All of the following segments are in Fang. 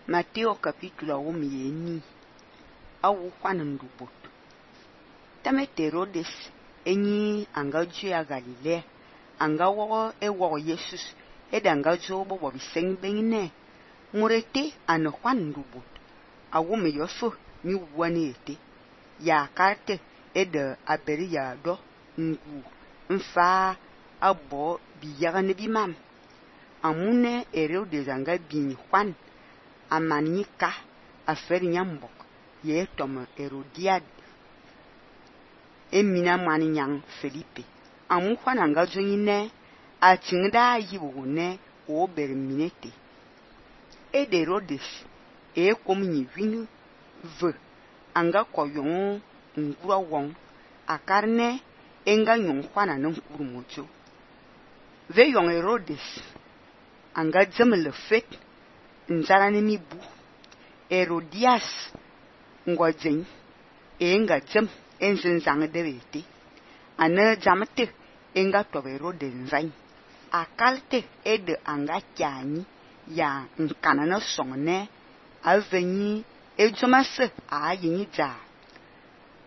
Mateo capítulo 1 awu Juan ndubot. Tamet Herodes enyi anga jua Galilea anga wo Jesus anga jo bo biseng bengne murete an Juan ndubot awu me yofu mi wani ete ya karte ede aberi ya do ngu mfa abo biyaga ne bimam amune Herodes anga bin Juan amanika aferi nyambok ye tom Herodiad emina mani nyang Felipe amu Juan anga jonyine atingda yibune o berminete e de Herodes e komni winu ve anga koyon ngura won akarne enga nyon Juan anan kurmojo ve yon Herodes anga zemle fet nzara ne mi bu Herodias ngojen enga jem enzin zang dewete ana jamte enga to Herodes nzain akalte ede anga kyani ya nkana na songne aveni ejomase ayini ja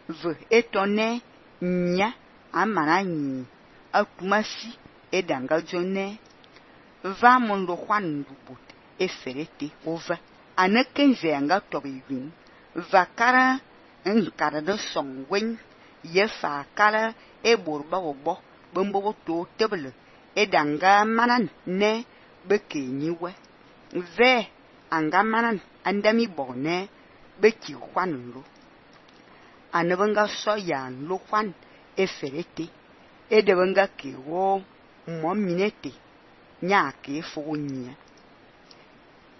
ve etone nya amana nyi akumasi edanga jone va mondo Juan ndubot eferete ova anakenze anga tobewin vakara nkara de songwen yefa kala eborba obo bombo to tebele edanga manan ne bekenyiwe ve anga manan andami bone beki Juan lo anabanga soya lo Juan eferete edebanga kewo mominete nya ke fonya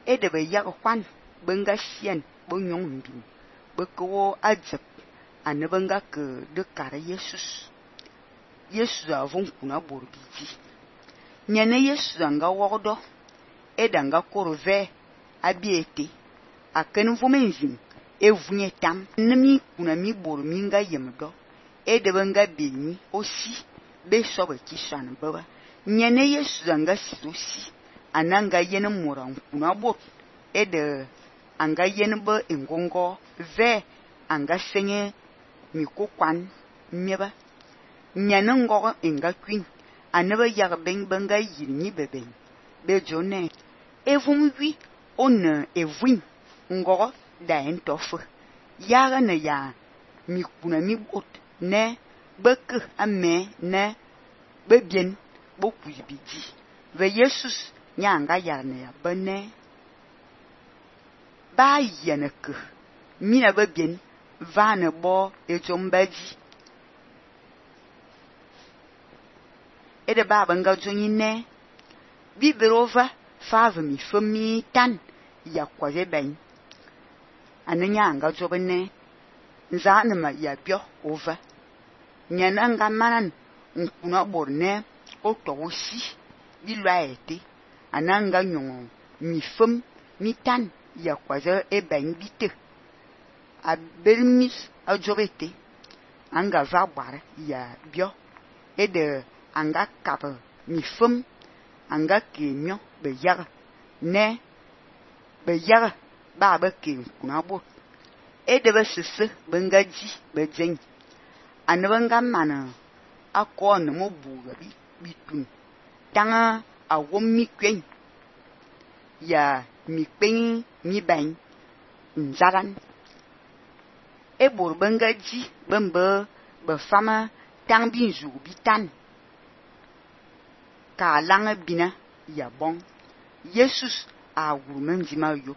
edebe yag Juan benga sien bonyon mbin beko ajep anabanga ke de kare Jesus avon kuna borbiji nyane Jesus anga wodo edanga korove abiete aken vomenzin evunye tam nemi kuna mi borminga yemdo edebanga beni osi be sobe kishan baba nyane Jesus anga sirosi ananga yene moran kuna bot ede anga yene be engongo ve anga senye mikokwan mieba nyane ngogo enga kwin anaba yag benga yirni beben be jone evum wi on evun ngogo da entofu yaga na ya mikuna mi bot ne beke ame ne bebien bokuyibiji ve Jesus nyanga yarne ya bane ba yeneke mina bebien vane bo ejombaji ede baba nga jonyine biberova fave mi fami tan ya kwaje ben ananya anga jobene nzane ma ya bio ova nyana nga manan nkuna borne o towosi bilwaete ananga nyongo mi fam mi tan ya kwaje e ben bite a bermis a jobete anga vabare ya bio ede anga kap mi fam anga kenyo be yaga ne be yaga ba ke kuna bot ede be sese bengaji be jen anabanga mana akon mo buga bitun tanga awom mi kwen ya mi pen mi ban nzaran ebor bengaji bembe be fama tang binzu bitan ka langa bina ya bon Jesus a wumen jima yo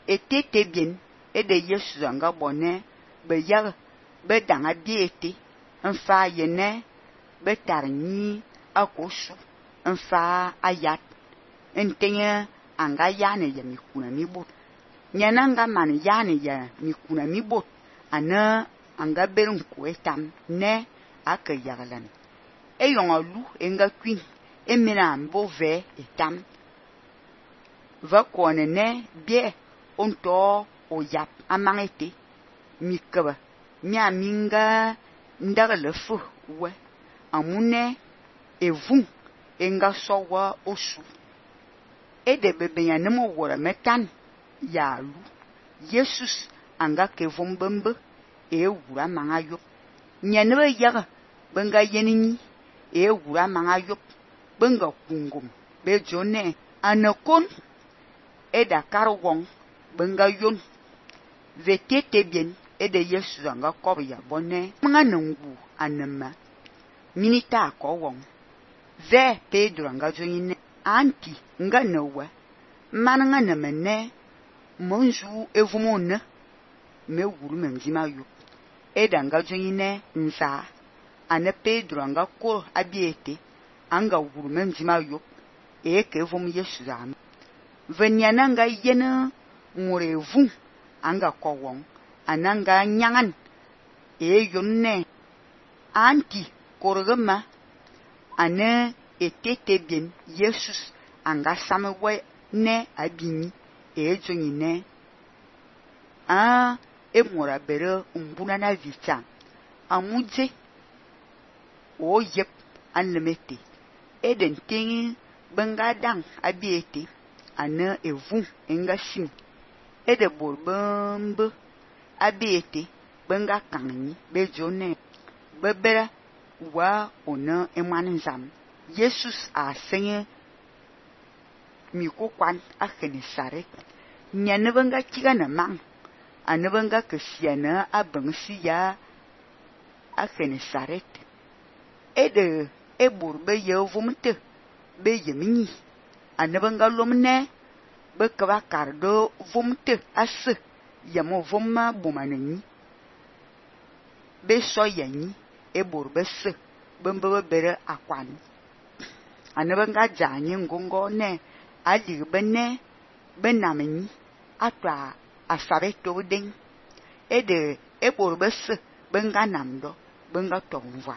etete bien ede Jesus anga bonne be yag be danga biete mfa yene be tarni akosu mfa ayat entenye anga yane ya mikuna mi bot nyana nga man yane ya mikuna mi bot ana anga berin ko etam ne akayagalan eyonga lu enga kwin emina mbo ve etam va kone ne bie onto oyap amangete mikaba mia minga ndagalefu we amune evun enga sowa osu ede bebe ya nemo wora metan ya lu Jesus anga ke vom bembe e wura manga yop nyane ba yaga benga yenini e wura manga yop benga kungum be jone anakon e da karwong benga yon vetete bien e de Jesus anga kob ya bonne manga nungu anema minita ko wong ve Pedro anga joine anti nga nawa mananga na mene monju evumone me wuru memjima yo edanga joine nsa ane Pedro anga ko abiete anga wuru memjima yo ke evum Yesu am venyana nga yena murevu anga kowong ananga nyangan yonne anti korogama ane etete bien Jesus anga samewe ne abini jonyine emora bere mbuna na vicha amuje o yep anlemete eden tingi benga dang abiete ana evu enga sim ede borbambe abiete benga kanni bejone bebera wa ona emanzam Jesus a senye mikokwan a Genesaret nyane benga kiga na mang ane benga kesiana a bangsiya a Genesaret ede ebor be yevumte be yemini ane benga lomne be kaba kardo vumte as yamo vumma bumanani be soyani ebor be se bembe bere akwan ane benga janye ngongo ne ali bene benameni atwa asabeto ding ede ebor be se benga namdo benga tongwa